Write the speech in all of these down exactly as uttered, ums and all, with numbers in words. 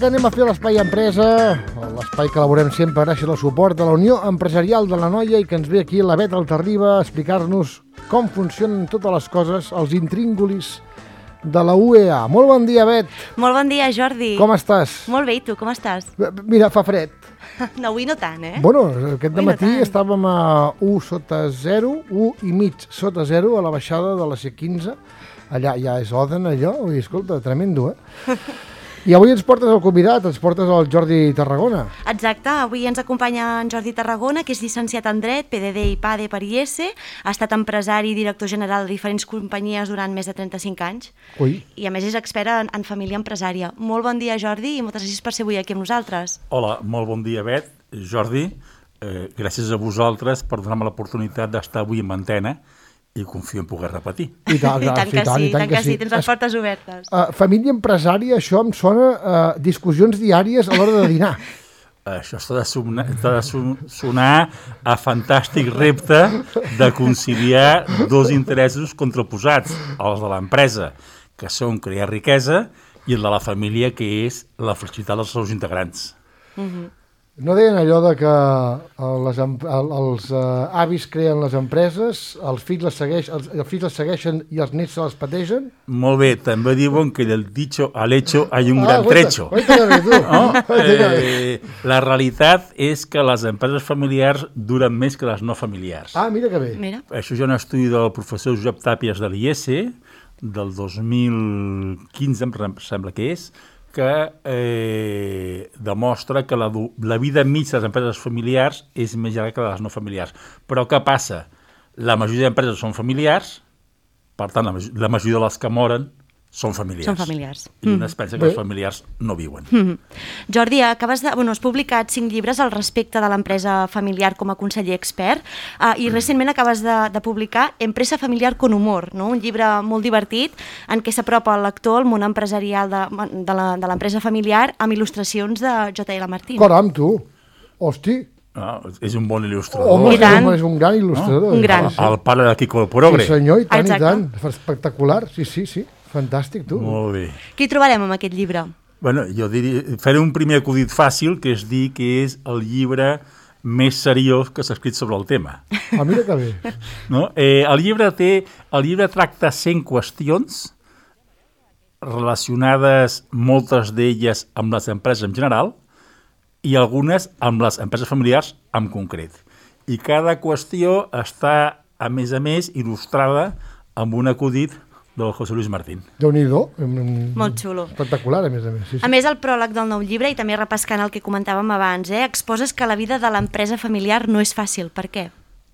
que anem a fer l'Espai Empresa, l'espai que elaborem sempre gràcies al suport de la Unió Empresarial de l'Anoia i que ens ve aquí la Bet Altarriba a explicar-nos com funcionen totes les coses, els intríngulis de la U E A. Molt bon dia, Bet. Molt bon dia, Jordi. Com estàs? Molt bé, i tu, com estàs? Mira, fa fred. No, avui no tant, eh? Bueno, aquest Avui no dematí tant. estàvem a u sota zero, u i mig sota zero a la baixada de la C quinze. Allà ja és Oden, allò. Ui, escolta, tremendo, eh? I avui ens portes el convidat, ens portes el Jordi Tarragona. Exacte, avui ens acompanya en Jordi Tarragona, que és llicenciat en Dret, P D D i P A D E per I E S, ha estat empresari i director general de diferents companyies durant més de trenta-cinc anys. Ui. I a més és expert en, en família empresària. Molt bon dia, Jordi, i moltes gràcies per ser avui aquí amb nosaltres. Hola, molt bon dia, Bet. Jordi, eh, gràcies a vosaltres per donar-me l'oportunitat d'estar avui en antena i confio en poder repetir. I tant, I tant que sí, i tant que sí, tens les Es- portes obertes. Uh, família empresària, això em sona a uh, discussions diàries a l'hora de dinar. Això està de, sonar, està de son- sonar a fantàstic repte de conciliar dos interessos contraposats, els de l'empresa, que són crear riquesa, i el de la família, que és la felicitat dels seus integrants. No deien allò de que eh, les, em- el- els uh, avis creen les empreses, els fills les, segueix, els, els fills les segueixen i els nets se les pateixen? Molt bé, també diuen que del dicho al hecho hay un gran guaita, trecho. guaita que bé, tu. No? Guaita que bé. Eh, la realitat és que les empreses familiars duren més que les no familiars. Ah, mira que bé. Mira. Això hi ha un estudi del professor Josep Tàpies de l'I E S del dos mil quinze, em rem- sembla que és, que eh, demostra que la, du- la vida mitja de les empreses familiars és més llarga que les no familiars. Però què passa? La majoria d'empreses són familiars, per tant, la, maj- la majoria de les que moren són familiars. Són familiars. I un es pensa que Bé. els familiars no viuen. Mm. Jordi, acabes de, bueno, has publicat cinc llibres al respecte de l'empresa familiar com a conseller expert uh, i recentment acabes de, de publicar Empresa familiar con humor, no? Un llibre molt divertit en què s'apropa el lector al món empresarial de, de la- de l'empresa familiar amb il·lustracions de J L Martín. Caram, tu. Hosti. No? És un bon il·lustrador. Home, I tant. és un gran il·lustrador. Un gran. Sí, El pare de Quico el Progre. sí, senyor, i tant, Exacte. i tant. Espectacular, sí, sí, sí. Fantàstic, tu. Molt bé. Què hi trobarem amb aquest llibre? Bueno, jo diria, faré un primer acudit fàcil, que és dir que és el llibre més seriós que s'ha escrit sobre el tema. Ah, mira que bé. No? Eh, el, llibre té, el llibre tracta cent qüestions relacionades, moltes d'elles amb les empreses en general i algunes amb les empreses familiars en concret. I cada qüestió està, a més a més, il·lustrada amb un acudit del José Luis Martín. Déu-n'hi-do. Molt xulo. Espectacular, a més a més. Sí, A sí. més, el pròleg del nou llibre, i també repescant el que comentàvem abans, eh, exposes que la vida de l'empresa familiar no és fàcil. Per què?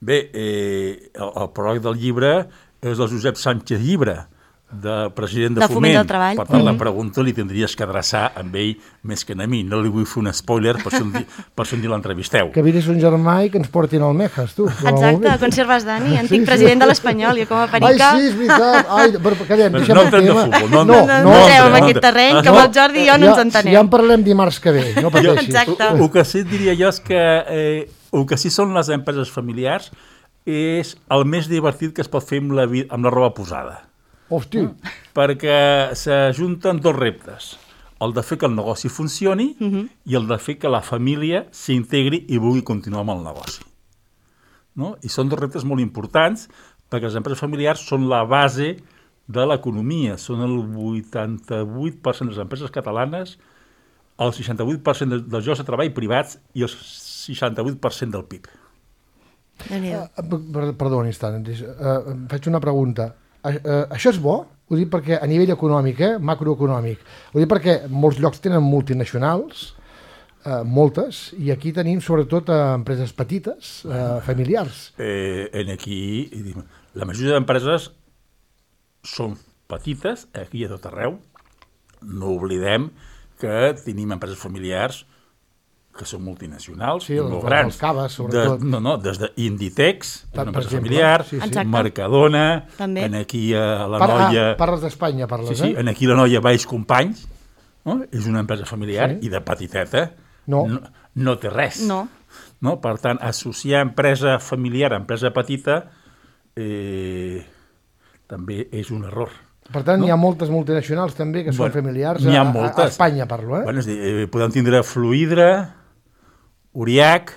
Bé, eh, el, el pròleg del llibre és del Josep Sánchez Llibre, de president de, De Foment del Treball. Per tant, la Mhm. pregunta li tindries que adreçar amb ell més que a mi. No li vull fer un spoiler per si un, di- per si un dia l'entrevisteu. Que vindrés un germà i que ens portin al Mejas, tu. Que va molt Exacte, bé. conserves Dani, antic Sí, sí. president de l'Espanyol, jo com a Ai, perica... sí, és veritat. Ai, però callem, Però deixem no el entrem de tema. futbol, no- No, no, no, no entreu en entrem, aquest no terreny, entrem. que amb el Jordi i jo no ens Ja, entenem. ja en parlem dimarts que ve, no pateixis. Exacte. El que sí et diria jo és que eh, el que sí són les empreses familiars és el més divertit que es pot fer amb la, vi- amb la roba posada. Hosti, Perquè s'ajunten dos reptes. El de fer que el negoci funcioni i el de fer que la família s'integri i vulgui continuar amb el negoci. No? I són dos reptes molt importants perquè les empreses familiars són la base de l'economia. Són el vuitanta-vuit per cent de les empreses catalanes, el seixanta-vuit per cent de- dels llocs de treball privats i el seixanta-vuit per cent del P I B. Déu-n'hi-do. Eh, per- perdó un instant, uh, em faig una pregunta. Uh, uh, això és bo? Ho dic perquè a nivell econòmic, eh, macroeconòmic. Ho dic perquè molts llocs tenen multinacionals, uh, moltes, i aquí tenim sobretot uh, empreses petites, uh, familiars. Eh, en aquí, i dic, la majoria d'empreses són petites, aquí a tot arreu. No oblidem que tenim empreses familiars que són multinacionals, Sí, i els- molt els grans. Caves, sobretot. De, no, no, des d'Inditex, Per una empresa exemple, familiar, sí, sí. Exacte. Mercadona, També. en aquí a la Par Noia... ah, parles d'Espanya, Sí, parles, sí, eh? en aquí la Noia Baix Companys, no? És una empresa familiar Sí. i de petiteta No. no, no té res. No. No? Per tant, associar empresa familiar a empresa petita eh, també és un error. Per tant, no? Hi ha moltes multinacionals també que són bueno, familiars, a, a, a Espanya parlo, eh? Bueno, és dir, eh, podem tindre Fluidra, Uriac,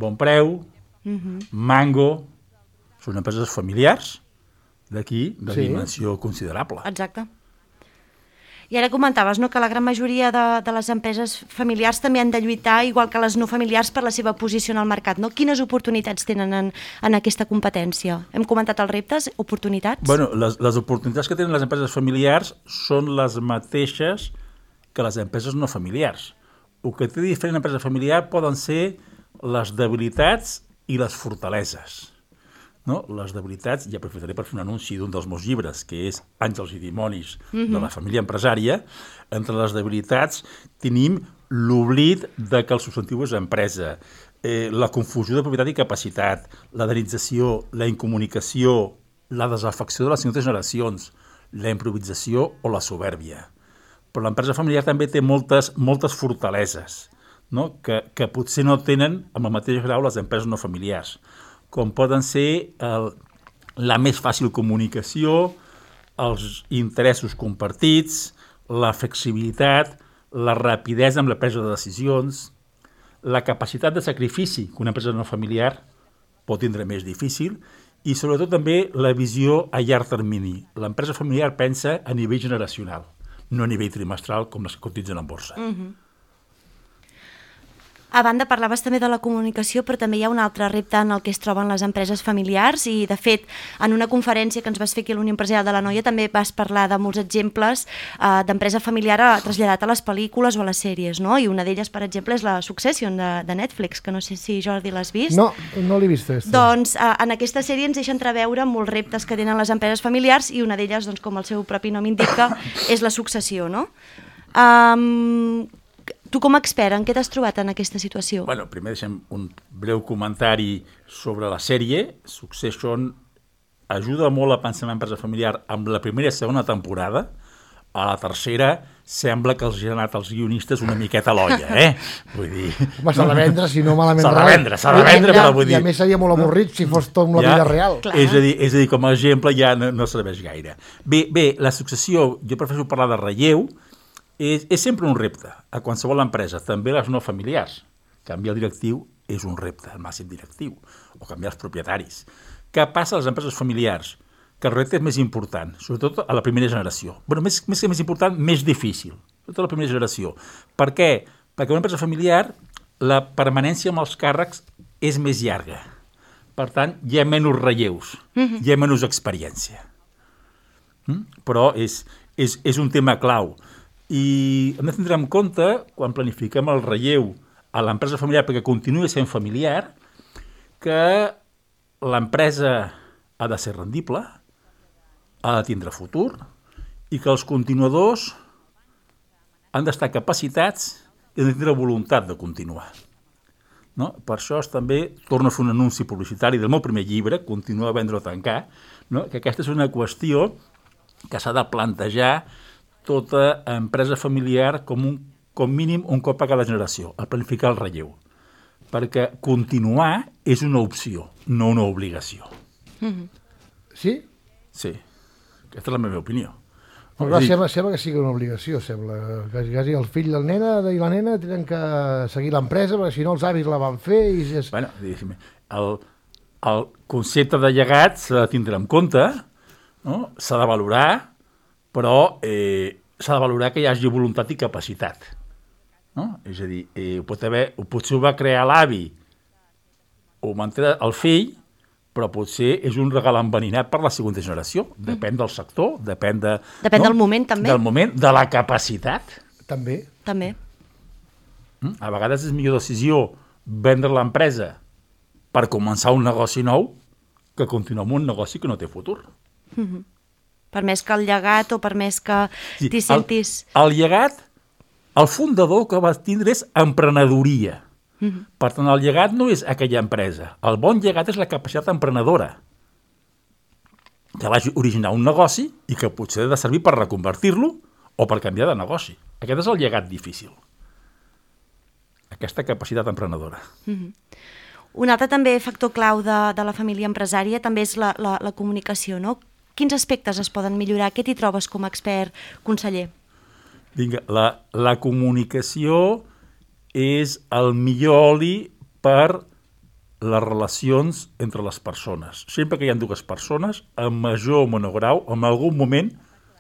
Bonpreu, uh-huh. Mango, són empreses familiars d'aquí, de sí. dimensió considerable. Exacte. I ara comentaves, no?, que la gran majoria de, de les empreses familiars també han de lluitar, igual que les no familiars, per la seva posició en el mercat, no? Quines oportunitats tenen en, en aquesta competència? Hem comentat els reptes, oportunitats? Bueno, les, les oportunitats que tenen les empreses familiars són les mateixes que les empreses no familiars. El que té diferent empresa familiar poden ser les debilitats i les fortaleses. No? Les debilitats, ja aprofitaré per fer un anunci d'un dels meus llibres, que és Àngels i dimonis mm-hmm. de la família empresària. Entre les debilitats tenim l'oblit de que el substantiu és empresa, eh, la confusió de propietat i capacitat, la denització, la incomunicació, la desafecció de les segones generacions, la improvisació o la soberbia. Però l'empresa familiar també té moltes, moltes fortaleses, no? que, que potser no tenen amb el mateix grau les empreses no familiars, com poden ser el, la més fàcil comunicació, els interessos compartits, la flexibilitat, la rapidesa amb la presa de decisions, la capacitat de sacrifici que una empresa no familiar pot tindre més difícil, i sobretot també la visió a llarg termini. L'empresa familiar pensa a nivell generacional, no a nivell trimestral com les que cotitzen en borsa. Mm-hmm. A banda, parlaves també de la comunicació, però també hi ha un altre repte en el que es troben les empreses familiars i, de fet, en una conferència que ens vas fer aquí a l'Unió Empresarial de l'Anoia també vas parlar de molts exemples eh, d'empresa familiar traslladat a les pel·lícules o a les sèries, no? I una d'elles, per exemple, és la Succession de, de Netflix, que no sé si, Jordi, l'has vist. No, no l'he vist. Aquesta. Doncs eh, en aquesta sèrie ens deixen entreveure molts reptes que tenen les empreses familiars i una d'elles, doncs, com el seu propi nom indica, és la successió, no? Um, Tu, com a expert, en què t'has trobat en aquesta situació? Bueno, primer deixem un breu comentari sobre la sèrie. Succession ajuda molt a pensar en l'empresa familiar amb la primera i segona temporada. A la tercera sembla que els ha anat els guionistes una miqueta a l'olla, eh? Vull dir... Home, s'ha de vendre, si no malament... S'ha de vendre, s'ha de vendre, però vull dir... I a més seria molt avorrit si fos tot amb la ja, vida real. És a, dir, és a dir, com a exemple ja no, no serveix gaire. Bé, bé, la successió, jo prefereixo parlar de relleu. És, és sempre un repte a qualsevol empresa, també les no familiars. Canviar el directiu és un repte, el màxim directiu, o canviar els propietaris. Què passa a les empreses familiars? Que el repte és més important, sobretot a la primera generació. Bé, més, més que més important, més difícil, sobretot a la primera generació. Per què? Perquè una empresa familiar, la permanència amb els càrrecs és més llarga. Per tant, hi ha menys relleus, mm-hmm. hi ha menys experiència. Mm? Però és, és, és un tema clau. I hem de tindre en compte, quan planifiquem el relleu a l'empresa familiar perquè continuï sent familiar, que l'empresa ha de ser rendible, ha de tindre futur i que els continuadors han d'estar capacitats i han de tindre voluntat de continuar. No? Per això es també torno a fer un anunci publicitari del meu primer llibre, Continua a vendre o tancar, no? Que aquesta és una qüestió que s'ha de plantejar tota empresa familiar com, un, com mínim un cop a cada generació, a planificar el relleu. Perquè continuar és una opció, no una obligació. Mm-hmm. Sí? Sí, aquesta és la meva opinió. Però dir... sembla, sembla que sigui una obligació, sembla. Quasi, quasi el fill del nena i la nena tenen que seguir l'empresa, perquè si no els avis la van fer... I és... Bueno, el, el concepte de llegat s'ha de tindre en compte, no? S'ha de valorar, però eh, s'ha de valorar que hi hagi voluntat i capacitat. No? És a dir, eh, pot haver, potser ho va crear l'avi, o manté el fill, però potser és un regal enverinat per la segona generació. Depèn del sector, depèn, de, depèn no? del moment, també. Del moment, de la capacitat. També. També. A vegades és millor decisió vendre l'empresa per començar un negoci nou que continuar amb un negoci que no té futur. Mm-hmm. Per més que el llegat o per més que sí, t'hi sentis... El, el llegat, el fundador que va tindre és emprenedoria. Mm-hmm. Per tant, el llegat no és aquella empresa. El bon llegat és la capacitat emprenedora, que va originar un negoci i que potser ha de servir per reconvertir-lo o per canviar de negoci. Aquest és el llegat difícil. Aquesta capacitat emprenedora. Mm-hmm. Un altre també factor clau de, de la família empresària també és la, la, la comunicació, no? quins aspectes es poden millorar? Què t'hi trobes com a expert, conseller? Vinga, la, la comunicació és el millor oli per les relacions entre les persones. Sempre que hi ha dues persones, en major o menor grau, en algun moment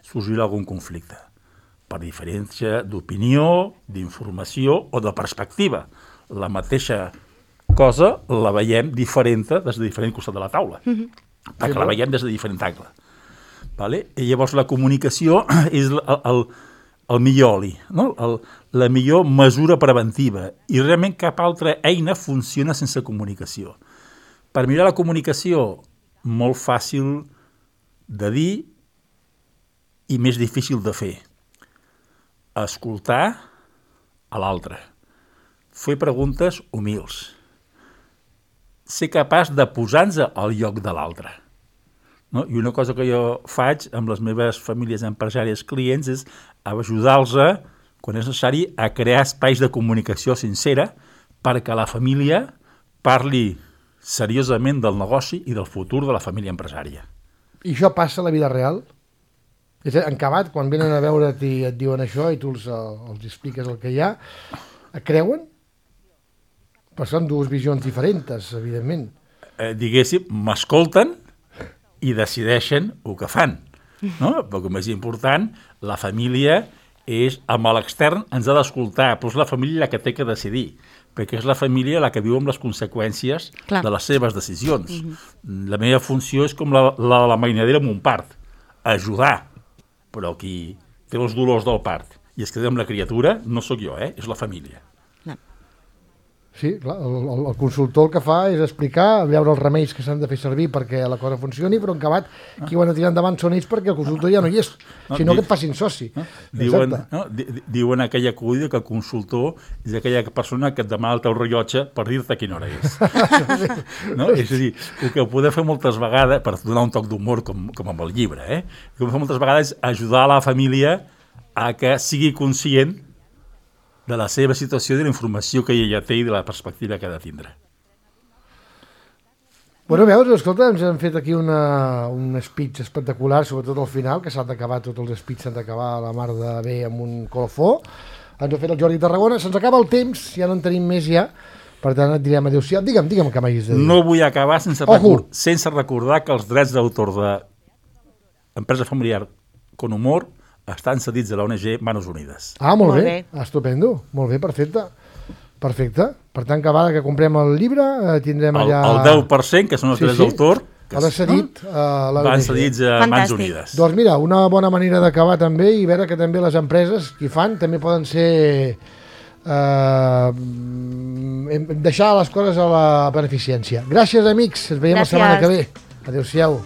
sorgirà algun conflicte, per diferència d'opinió, d'informació o de perspectiva. La mateixa cosa la veiem diferent des de diferent costat de la taula, mm-hmm. perquè la veiem des de diferent angle. Vale? I llavors la comunicació és el, el, el millor oli, no? el, la millor mesura preventiva, i realment cap altra eina funciona sense comunicació. Per mirar la comunicació, molt fàcil de dir i més difícil de fer. Escoltar a l'altre. Fer preguntes humils. Ser capaç de posar-nos al lloc de l'altre. No? I una cosa que jo faig amb les meves famílies empresàries clients és ajudar-los, quan és necessari, a crear espais de comunicació sincera perquè la família parli seriosament del negoci i del futur de la família empresària. I això passa a la vida real? És a dir, en acabat, quan venen a veure't i et diuen això i tu els, els expliques el que hi ha, et creuen? Però són dues visions diferents, evidentment. Eh, diguéssim, m'escolten i decideixen el que fan. No? Però el més important, la família és, amb l'extern ens ha d'escoltar, però és la família la que té que decidir, perquè és la família la que viu amb les conseqüències Clar. de les seves decisions. Mm-hmm. La meva funció és com la, la, la mainadera amb un part, ajudar, però qui té els dolors del part i es queda amb la criatura no sóc jo, eh? És la família. Sí, clar, el, el, el consultor el que fa és explicar, veure els remeis que s'han de fer servir perquè la cosa funcioni, però en acabat qui ho han de tirar endavant són ells perquè el consultor ja no hi és, no, sinó di... que et facin soci. No? Diuen, no? Diuen aquella acudida que el consultor és aquella persona que et demana el teu rellotge per dir-te quina hora és. No? És a dir, el que podem fer moltes vegades, per donar un toc d'humor com, com amb el llibre, eh? el que podem fer moltes vegades és ajudar la família a que sigui conscient de la seva situació, de la informació que ella té i de la perspectiva que ha de tindre. Bueno, veus, escolta, ens han fet aquí una, un speech espectacular, sobretot al final, que s'han d'acabar, tots els speeches s'han d'acabar a la mar de bé amb un colofó. Ens ho ha fet el Jordi Tarragona, se'ns acaba el temps, ja no en tenim més ja, per tant et direm adéu-siau. Digue'm, digue'm que m'hagis de dir. No vull acabar sense, record, sense recordar que els drets d'autor de Empresa Familiar con Humor estan cedits a l'O N G Manos Unides. Ah, molt, molt bé. bé, estupendo, molt bé, perfecte. Perfecte, per tant que vegada que comprem el llibre eh, tindrem allà... El, el deu per cent, que són els sí, drets sí. d'autor, que Ara cedit no? a l'O N G. Van cedits a Mans Unides. Doncs mira, una bona manera d'acabar també i veure que també les empreses que fan també poden ser... Eh, deixar les coses a la beneficència. Gràcies, amics, ens veiem Gràcies. la setmana que ve. Adéu-siau.